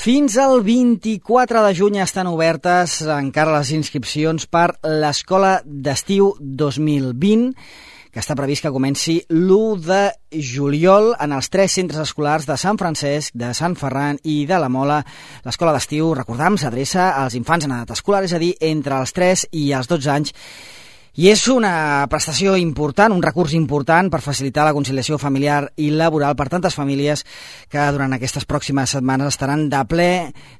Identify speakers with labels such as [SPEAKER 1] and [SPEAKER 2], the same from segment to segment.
[SPEAKER 1] Fins al 24 de juny estan obertes encara les inscripcions per l'Escola d'Estiu 2020, que està previst que comenci l'1 de juliol en els 3 centres escolars de Sant Francesc, de Sant Ferran i de la Mola. L'Escola d'Estiu, recordam, s'adreça als infants en edat escolar, és a dir, entre els 3 i els 12 anys, i és una prestació important, un recurs important per facilitar la conciliació familiar i laboral per tantes famílies que durant aquestes pròximes setmanes estaran de ple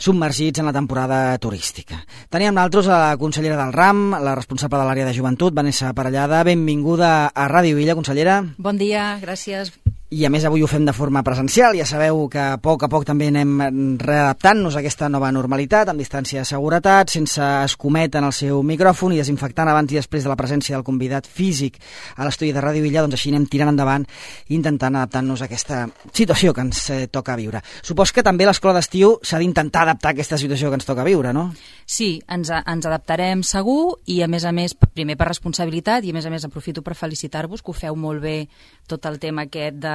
[SPEAKER 1] submergits en la temporada turística. Teníem nosaltres a la consellera del RAM, la responsable de l'àrea de joventut, Vanessa Parellada. Benvinguda a Ràdio Illa, consellera.
[SPEAKER 2] Bon dia, gràcies.
[SPEAKER 1] I a més avui ho fem de forma presencial, ja sabeu que a poc també anem readaptant-nos a aquesta nova normalitat, amb distància de seguretat, sense escomet en el seu micròfon i desinfectant abans i després de la presència del convidat físic a l'estudi de Ràdio Illa, doncs així anem tirant endavant i intentant adaptar-nos a aquesta situació que ens toca viure. Supos que també l'escola d'estiu s'ha d'intentar adaptar a aquesta situació que ens toca viure, no?
[SPEAKER 2] Sí, ens adaptarem segur i a més, primer per responsabilitat i a més aprofito per felicitar-vos que ho feu molt bé tot el tema aquest de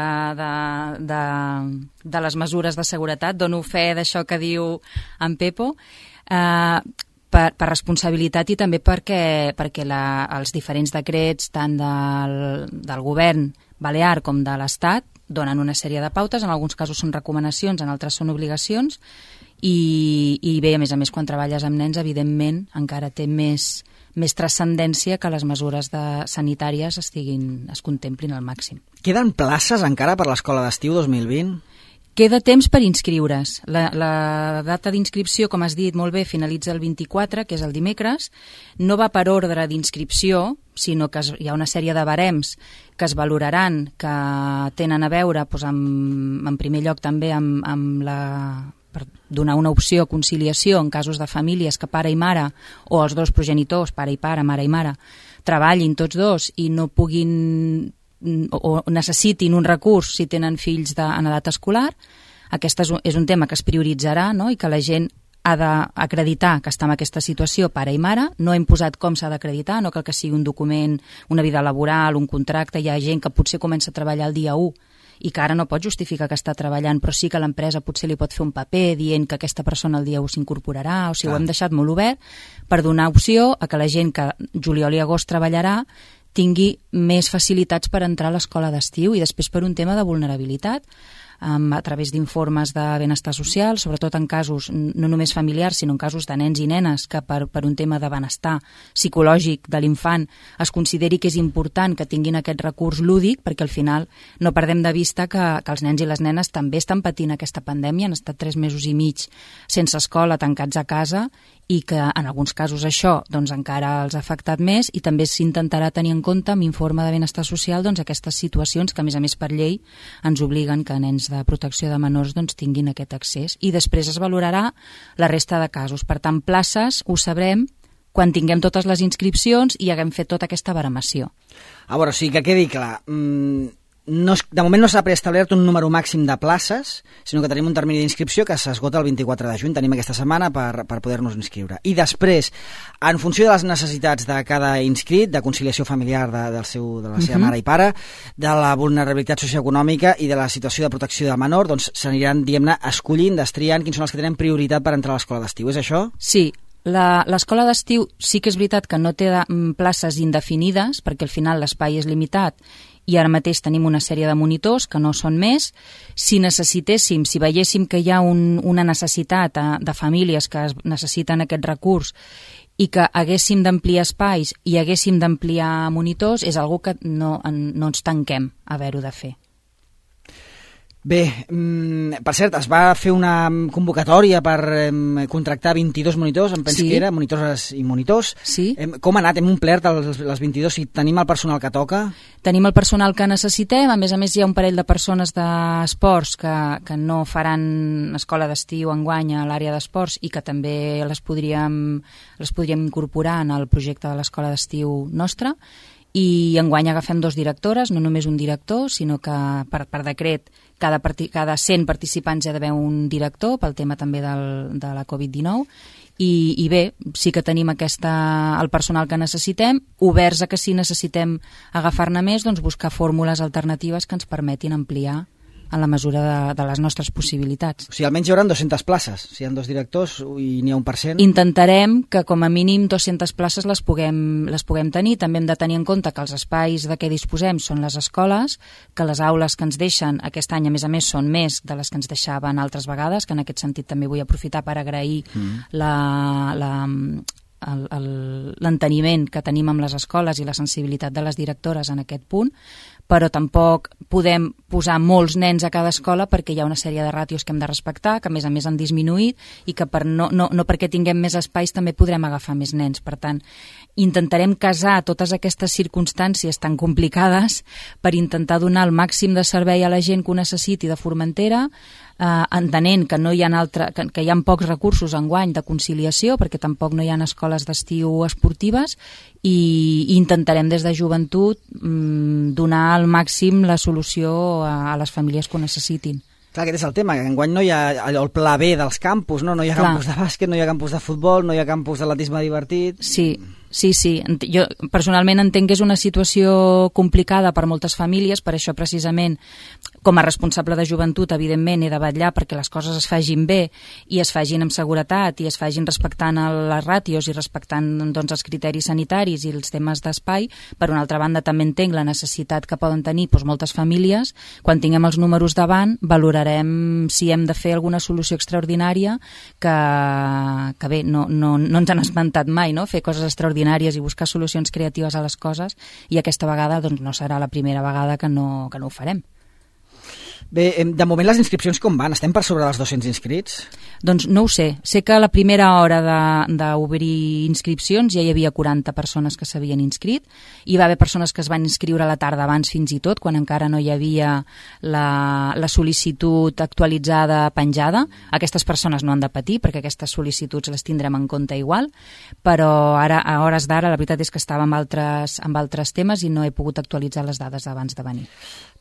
[SPEAKER 2] les mesures de seguretat. Dono fe d'això que diu en Pepo, per responsabilitat i també perquè els diferents decrets tant del govern balear com de l'Estat donen una sèrie de pautes, en alguns casos són recomanacions, en altres són obligacions i bé, a més, quan treballes amb nens, evidentment, encara té més transcendència que les mesures sanitàries es contemplin al màxim.
[SPEAKER 1] Queden places encara per l'escola d'estiu 2020?
[SPEAKER 2] Queda temps per inscriure's. La data d'inscripció, com has dit molt bé, finalitza el 24, que és el dimecres. No va per ordre d'inscripció, sinó que hi ha una sèrie de barems que es valoraran, que tenen a veure, en primer lloc també per donar una opció a conciliació en casos de famílies que pare i mare, o els dos progenitors, pare i pare, mare i mare, treballin tots dos i no puguin o necessitin un recurs si tenen fills en edat escolar. Aquest és un tema que es prioritzarà, no? I que la gent ha d'acreditar que està en aquesta situació, pare i mare. No hem posat com s'ha d'acreditar, no cal que sigui un document, una vida laboral, un contracte. Hi ha gent que potser comença a treballar el dia 1 i que ara no pot justificar que està treballant, però sí que l'empresa potser li pot fer un paper dient que aquesta persona el dia 1 s'incorporarà, o sigui, ho hem deixat molt obert per donar opció a que la gent que juliol i agost treballarà tingui més facilitats per entrar a l'escola d'estiu i després per un tema de vulnerabilitat, a través d'informes de benestar social, sobretot en casos no només familiars, sinó en casos de nens i nenes que per un tema de benestar psicològic de l'infant es consideri que és important que tinguin aquest recurs lúdic, perquè al final no perdem de vista que els nens i les nenes també estan patint aquesta pandèmia, han estat 3 mesos i mig sense escola, tancats a casa, i que en alguns casos això encara els ha afectat més i també s'intentarà tenir en compte amb informe de benestar social aquestes situacions que a més per llei ens obliguen que nens de protecció de menors tinguin aquest accés i després es valorarà la resta de casos. Per tant, places ho sabrem quan tinguem totes les inscripcions i haguem fet tota aquesta baremació.
[SPEAKER 1] A veure, sí que quedi clar, de moment no s'ha preestablert un número màxim de places, sinó que tenim un termini d'inscripció que s'esgota el 24 de juny, tenim aquesta setmana per poder-nos inscriure. I després, en funció de les necessitats de cada inscrit, de conciliació familiar de la seva mare i pare, de la vulnerabilitat socioeconòmica i de la situació de protecció del menor, doncs s'aniran, diguem-ne, escollint, destriant quins són els que tenen prioritat per entrar a l'escola d'estiu. És això?
[SPEAKER 2] Sí. L'escola d'estiu sí que és veritat que no té places indefinides, perquè al final l'espai és limitat i ara mateix tenim una sèrie de monitors que no són més. Si veiéssim que hi ha una necessitat de famílies que necessiten aquest recurs i que haguéssim d'ampliar espais i haguéssim d'ampliar monitors, és algo que no ens tanquem a haver-ho de fer.
[SPEAKER 1] Bé, per cert, es va fer una convocatòria per contractar 22 monitors, em penso que era, monitores i monitors.
[SPEAKER 2] Sí.
[SPEAKER 1] Com ha anat? Hem omplert les 22? Si tenim el personal que toca?
[SPEAKER 2] Tenim el personal que necessitem, a més hi ha un parell de persones d'esports que no faran escola d'estiu enguany a l'àrea d'esports i que també les podríem incorporar en el projecte de l'escola d'estiu nostra. I enguany agafem 2 directores, no només un director, sinó que per decret cada 100 participants hi ha d'haver un director pel tema també de la Covid-19 i bé, sí que tenim el personal que necessitem, oberts a que si necessitem agafar-ne més, buscar fórmules alternatives que ens permetin ampliar en la mesura de les nostres possibilitats.
[SPEAKER 1] O sigui, almenys hi haurà 200 places. Si hi ha 2 directors i n'hi ha 1%...
[SPEAKER 2] Intentarem que com a mínim 200 places les puguem tenir. També hem de tenir en compte que els espais de què disposem són les escoles, que les aules que ens deixen aquest any, a més, són més de les que ens deixaven altres vegades, que en aquest sentit també vull aprofitar per agrair l'enteniment que tenim amb les escoles i la sensibilitat de les directores en aquest punt, però tampoc podem posar molts nens a cada escola perquè hi ha una sèrie de ràtios que hem de respectar, que a més han disminuït i que no perquè tinguem més espais també podrem agafar més nens. Per tant, intentarem casar totes aquestes circumstàncies tan complicades per intentar donar el màxim de servei a la gent que ho necessiti de Formentera, entenent que no hi ha que hi ha pocs recursos enguany de conciliació perquè tampoc no hi ha escoles d'estiu esportives, i intentarem des de joventut donar al màxim la solució a les famílies que ho necessitin.
[SPEAKER 1] Clar, aquest és el tema, que enguany no hi ha el pla B dels campus, no hi ha campus de bàsquet, no hi ha campus de futbol, no hi ha campus d'atletisme divertit... Sí. Jo personalment entenc que és una situació complicada per moltes famílies, per això precisament com a responsable de joventut evidentment he de vetllar perquè les coses es fagin bé i es fagin amb seguretat i es fagin respectant les ràtios i respectant els criteris sanitaris i els temes d'espai. Per una altra banda també entenc la necessitat que poden tenir moltes famílies. Quan tinguem els números davant valorarem si hem de fer alguna solució extraordinària que bé, no ens han esmentat mai, no? Fer coses extraordinàries i buscar solucions creatives a les coses, i aquesta vegada no serà la primera vegada que no ho farem. Bé, de moment les inscripcions com van? Estem per sobre dels 200 inscrits?
[SPEAKER 2] Doncs no ho sé. Sé que a la primera hora d'obrir inscripcions ja hi havia 40 persones que s'havien inscrit. Hi va haver persones que es van inscriure a la tarda abans fins i tot, quan encara no hi havia la sol·licitud actualitzada penjada. Aquestes persones no han de patir perquè aquestes sol·licituds les tindrem en compte igual, però ara, a hores d'ara, la veritat és que estava amb altres temes i no he pogut actualitzar les dades abans de venir.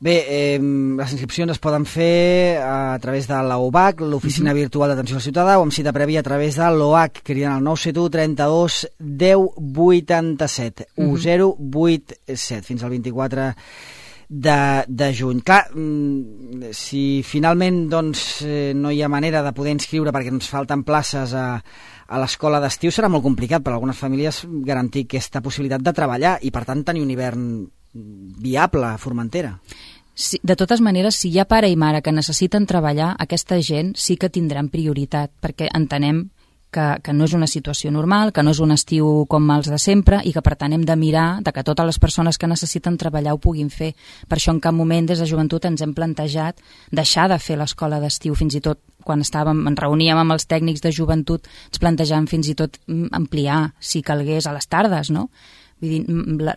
[SPEAKER 1] Bé, les inscripcions es poden fer a través de l'OVAC, l'Oficina Virtual d'Atenció al Ciutadà, o amb cita prèvia a través de l'OAC, cridant al 971 32 10 87, 1087, fins al 24 de juny. Clar, si finalment no hi ha manera de poder inscriure perquè ens falten places a l'escola d'estiu, serà molt complicat per a algunes famílies garantir aquesta possibilitat de treballar i, per tant, tenir un hivern viable a Formentera.
[SPEAKER 2] Sí, de totes maneres, si hi ha pare i mare que necessiten treballar, aquesta gent sí que tindran prioritat, perquè entenem que no és una situació normal, que no és un estiu com els de sempre i que per tant hem de mirar de que totes les persones que necessiten treballar ho puguin fer. Per això en cap moment des de joventut ens hem plantejat deixar de fer l'escola d'estiu. Fins i tot quan ens reuníem amb els tècnics de joventut ens plantejàvem fins i tot ampliar, si calgués, a les tardes, no? Vull dir,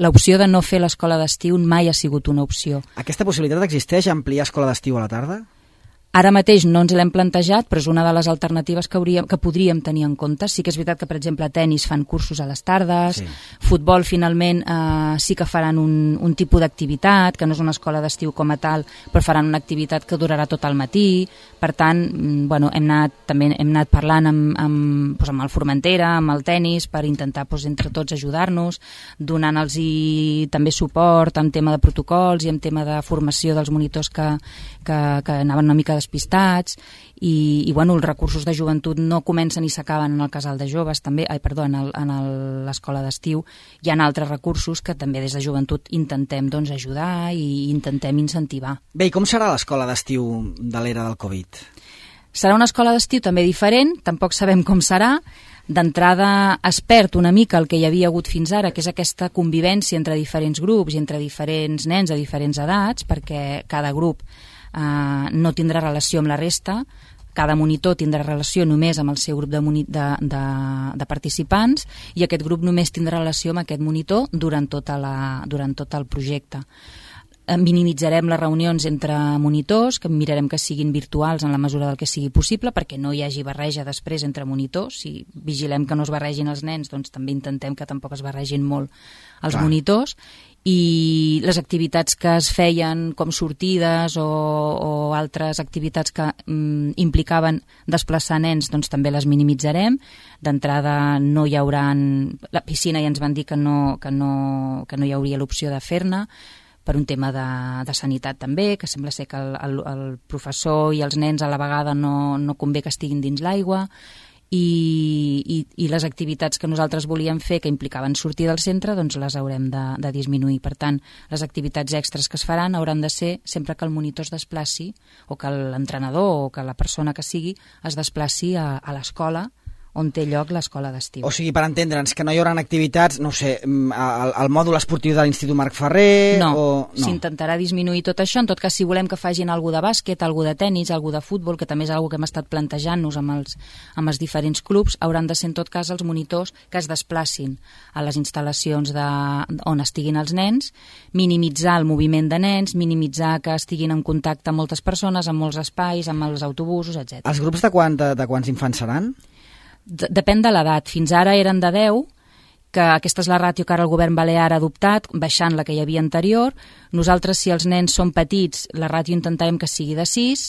[SPEAKER 2] l'opció de no fer l'escola d'estiu mai ha sigut una opció.
[SPEAKER 1] Aquesta possibilitat existeix, ampliar escola d'estiu a la tarda?
[SPEAKER 2] Ara mateix no ens l'hem plantejat, però és una de les alternatives que podríem tenir en compte. Sí que és veritat que, per exemple, a tennis fan cursos a les tardes, sí. Futbol finalment sí que faran un tipus d'activitat, que no és una escola d'estiu com a tal, però faran una activitat que durarà tot el matí. Per tant, bueno, hem anat parlant amb el Formentera, amb el tennis, per intentar entre tots ajudar-nos, donant-los també suport en tema de protocols i en tema de formació dels monitors que anaven una mica despistats i bueno, els recursos de joventut no comencen i s'acaben en el casal de joves també, en l'escola d'estiu hi ha altres recursos que també des de joventut intentem ajudar i intentem incentivar.
[SPEAKER 1] Bé, i com serà l'escola d'estiu de l'era del Covid?
[SPEAKER 2] Serà una escola d'estiu també diferent, tampoc sabem com serà. D'entrada es perd una mica el que hi havia hagut fins ara, que és aquesta convivència entre diferents grups i entre diferents nens de diferents edats, perquè cada grup no tindrà relació amb la resta, cada monitor tindrà relació només amb el seu grup de participants i aquest grup només tindrà relació amb aquest monitor durant tot el projecte. Minimitzarem les reunions entre monitors, que mirarem que siguin virtuals en la mesura del que sigui possible perquè no hi hagi barreja després entre monitors. Si vigilem que no es barregin els nens, doncs també intentem que tampoc es barregin molt els monitors. I les activitats que es feien com sortides o altres activitats que implicaven desplaçar nens, doncs també les minimitzarem. D'entrada no hi haurà... La piscina ja ens van dir que no hi hauria l'opció de fer-ne. per un tema de sanitat també, que sembla ser que el professor i els nens a la vegada no convé que estiguin dins l'aigua, i les activitats que nosaltres volíem fer que implicaven sortir del centre, doncs les haurem de disminuir. Per tant, les activitats extres que es faran hauran de ser sempre que el monitor es desplaci, o que l'entrenador o que la persona que sigui es desplaci a l'escola on té lloc l'escola d'estiu.
[SPEAKER 1] O sigui, per entendre'ns, que no hi haurà activitats, no sé, al mòdul esportiu de l'Institut Marc Ferrer...
[SPEAKER 2] No, s'intentarà disminuir tot això. En tot cas, si volem que facin alguna de bàsquet, alguna de tennis, alguna de futbol, que també és alguna que hem estat plantejant-nos amb els diferents clubs, hauran de ser en tot cas els monitors que es desplacin a les instal·lacions on estiguin els nens, minimitzar el moviment de nens, minimitzar que estiguin en contacte amb moltes persones, amb molts espais, amb els autobusos, etc.
[SPEAKER 1] Els grups de quants infants seran?
[SPEAKER 2] Depèn de l'edat. Fins ara eren de 10, que aquesta és la ràtio que ara el govern balear ha adoptat, baixant la que hi havia anterior. Nosaltres, si els nens són petits, la ràtio intentarem que sigui de 6.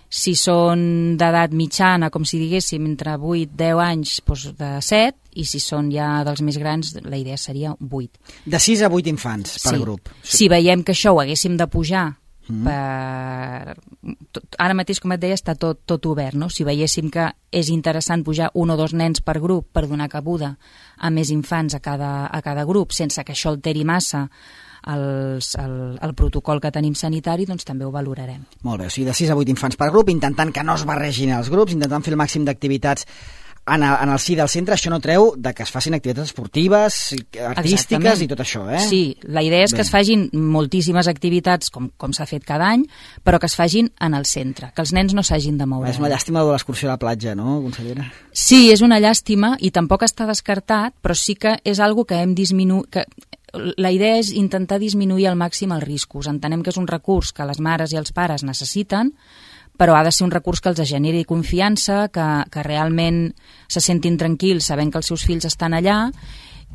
[SPEAKER 2] Si són d'edat mitjana, com si diguéssim, entre 8 i 10 anys, doncs de 7, i si són ja dels més grans, la idea seria 8.
[SPEAKER 1] De 6 a 8 infants per grup.
[SPEAKER 2] Si veiem que això ho haguéssim de pujar, ara mateix, com et deia, està tot obert, no? Si veiéssim que és interessant pujar 1 o 2 nens per grup per donar cabuda a més infants a cada grup, sense que això alteri massa el protocol que tenim sanitari, doncs també ho valorarem.
[SPEAKER 1] Molt bé, o sigui, de 6 a 8 infants per grup, intentant que no es barregin els grups, intentant fer el màxim d'activitats en el si del centre. Això no treu de que es facin activitats esportives, artístiques. Exactament. I tot això, eh?
[SPEAKER 2] Sí, la idea és que es facin moltíssimes activitats, com s'ha fet cada any, però que es facin en el centre, que els nens no s'hagin de moure.
[SPEAKER 1] És una llàstima de l'excursió a la platja, no, consellera?
[SPEAKER 2] Sí, és una llàstima, i tampoc està descartat, però sí que és algo que hem disminuït... La idea és intentar disminuir al màxim els riscos. Entenem que és un recurs que les mares i els pares necessiten, però ha de ser un recurs que els generi confiança, que realment se sentin tranquils sabent que els seus fills estan allà,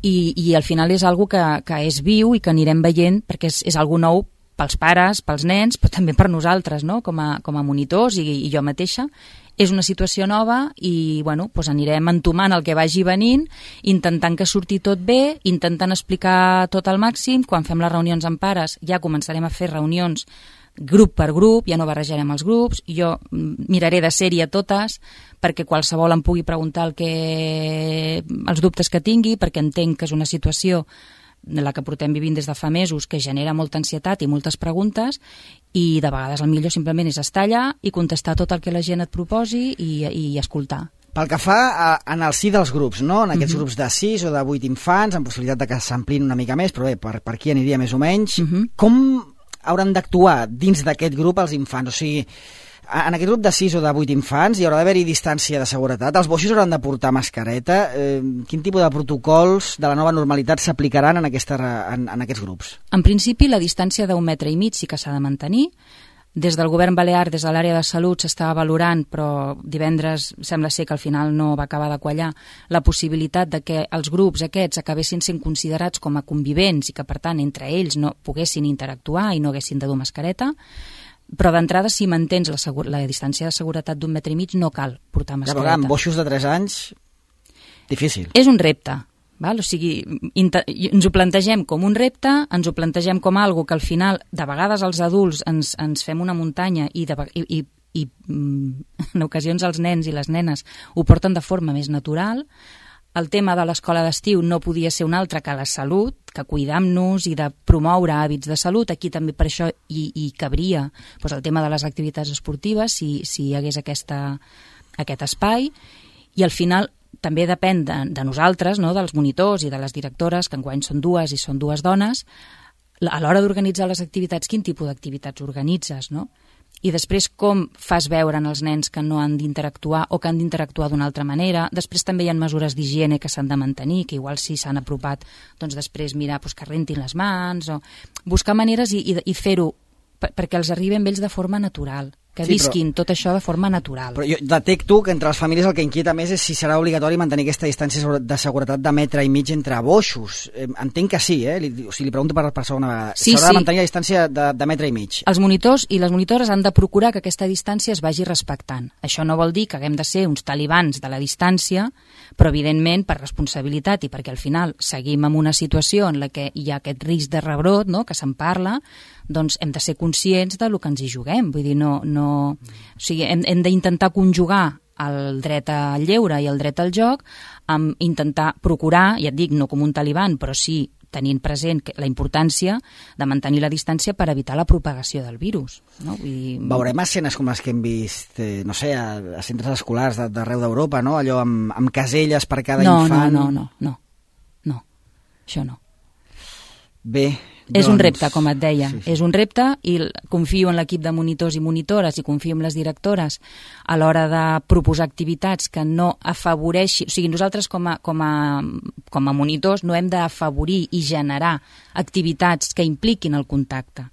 [SPEAKER 2] i al final és algo que és viu i que anirem veient, perquè és algo nou pels pares, pels nens, però també per nosaltres, no? com a monitors i jo mateixa. És una situació nova i doncs anirem entomant el que vagi venint, intentant que surti tot bé, intentant explicar tot al màxim. Quan fem les reunions amb pares ja començarem a fer reunions grup per grup, ja no barrejarem els grups, jo miraré de ser-hi a totes perquè qualsevol em pugui preguntar els dubtes que tingui, perquè entenc que és una situació de la que portem vivint des de fa mesos que genera molta ansietat i moltes preguntes, i de vegades el millor simplement és estar allà i contestar tot el que la gent et proposi i escoltar.
[SPEAKER 1] Pel que fa en el si dels grups, no? En aquests grups de 6 o de 8 infants, amb possibilitat de que s'amplin una mica més, però bé, per aquí aniria més o menys. Com hauran d'actuar dins d'aquest grup els infants? O sigui, en aquest grup de 6 o de 8 infants hi haurà d'haver-hi distància de seguretat, els boixos hauran de portar mascareta. Quin tipus de protocols de la nova normalitat s'aplicaran en aquests grups?
[SPEAKER 2] En principi, la distància d'1,5 metres sí que s'ha de mantenir. Des del govern balear, des de l'àrea de salut, s'estava valorant, però divendres sembla ser que al final no va acabar de quallar, la possibilitat de que els grups aquests acabessin sent considerats com a convivents i que, per tant, entre ells no poguessin interactuar i no haguessin de dur mascareta. Però d'entrada, si mantens la distància de seguretat d'1,5 metres, no cal portar mascareta.
[SPEAKER 1] Ja, amb boixos de 3 anys, difícil.
[SPEAKER 2] És un repte. Val? O sigui, ens ho plantegem com un repte, ens ho plantegem com algo que al final, de vegades els adults ens fem una muntanya i en ocasions els nens i les nenes ho porten de forma més natural. El tema de l'escola d'estiu no podia ser un altre que la salut, que cuidar-nos i de promoure hàbits de salut. Aquí també per això hi cabria el tema de les activitats esportives, si hi hagués aquest espai. I al final també depèn de nosaltres, no? Dels monitors i de les directores, que enguany són 2 i són 2 dones, a l'hora d'organitzar les activitats, quin tipus d'activitats organitzes, no? I després com fas veure als nens que no han d'interactuar o que han d'interactuar d'una altra manera. Després també hi ha mesures d'higiene que s'han de mantenir, que igual si s'han apropat, doncs després mirar que rentin les mans, o buscar maneres i fer-ho perquè els arriben ells de forma natural. que visquin tot això de forma natural.
[SPEAKER 1] Però jo detecto que entre les famílies el que inquieta més és si serà obligatori mantenir aquesta distància de seguretat de metre i mig entre boixos. Entenc que sí, o sigui, li pregunto per segona vegada.
[SPEAKER 2] Sí,
[SPEAKER 1] s'haurà de mantenir la distància de metre i mig.
[SPEAKER 2] Els monitors i les monitores han de procurar que aquesta distància es vagi respectant. Això no vol dir que haguem de ser uns talibans de la distància, però evidentment per responsabilitat i perquè al final seguim en una situació en la que hi ha aquest risc de rebrot, no?, que se'n parla, doncs hem de ser conscients del que ens hi juguem. Vull dir, o sigui, hem d'intentar conjugar el dret al lleure i el dret al joc amb intentar procurar, ja et dic, no com un taliban, però sí tenint present la importància de mantenir la distància per evitar la propagació del virus. No? Vull dir...
[SPEAKER 1] Veurem escenes com les que hem vist, no sé, a centres escolars d'arreu d'Europa, no? Allò amb caselles per cada infant...
[SPEAKER 2] No. Això no.
[SPEAKER 1] Bé,
[SPEAKER 2] és un repte, com et deia,
[SPEAKER 1] sí.
[SPEAKER 2] És un repte i confio en l'equip de monitors i monitores i confio en les directores a l'hora de proposar activitats que no afavoreixin... O sigui, nosaltres com a monitors no hem d'afavorir i generar activitats que impliquin el contacte.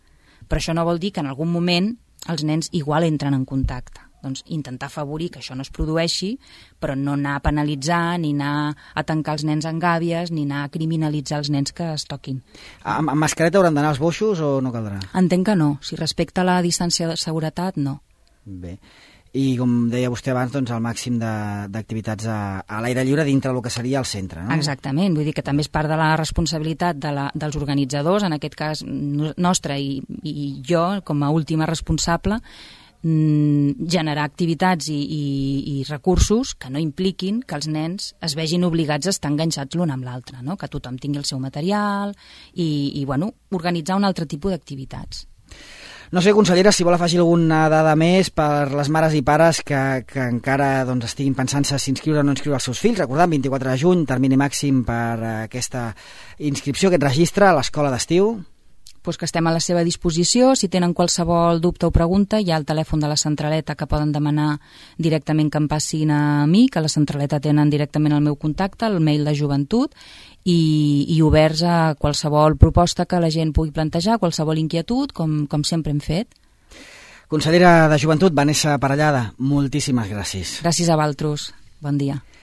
[SPEAKER 2] Però això no vol dir que en algun moment els nens igual entren en contacte. Doncs intentar afavorir que això no es produeixi, però no anar a penalitzar, ni anar a tancar els nens en gàbies, ni anar a criminalitzar els nens que es toquin.
[SPEAKER 1] Amb mascareta hauran d'anar als boixos o no caldrà?
[SPEAKER 2] Entenc que no. Si respecta la distància de seguretat, no.
[SPEAKER 1] Bé. I com deia vostè abans, doncs el màxim d'activitats a l'aire lliure dintre del que seria el centre, no?
[SPEAKER 2] Exactament. Vull dir que també és part de la responsabilitat dels organitzadors, en aquest cas nostra i jo, com a última responsable, generar activitats i recursos que no impliquin que els nens es vegin obligats a estar enganxats l'un amb l'altre, no? Que tothom tingui el seu material i bueno, organitzar un altre tipus d'activitats.
[SPEAKER 1] No sé, consellera, si vol afegir alguna dada més per les mares i pares que encara doncs, estiguin pensant-se si inscriure o no inscriure els seus fills. Recordant, 24 de juny, termini màxim per aquesta inscripció, aquest registre a l'escola d'estiu.
[SPEAKER 2] Pues que estem a la seva disposició. Si tenen qualsevol dubte o pregunta, hi ha el telèfon de la centraleta que poden demanar directament que em passin a mi, que a la centraleta tenen directament el meu contacte, el mail de joventut, i oberts a qualsevol proposta que la gent pugui plantejar, qualsevol inquietud, com sempre hem fet.
[SPEAKER 1] Consellera de Joventut, Vanessa Parellada, moltíssimes gràcies.
[SPEAKER 2] Gràcies a vosaltres. Bon dia.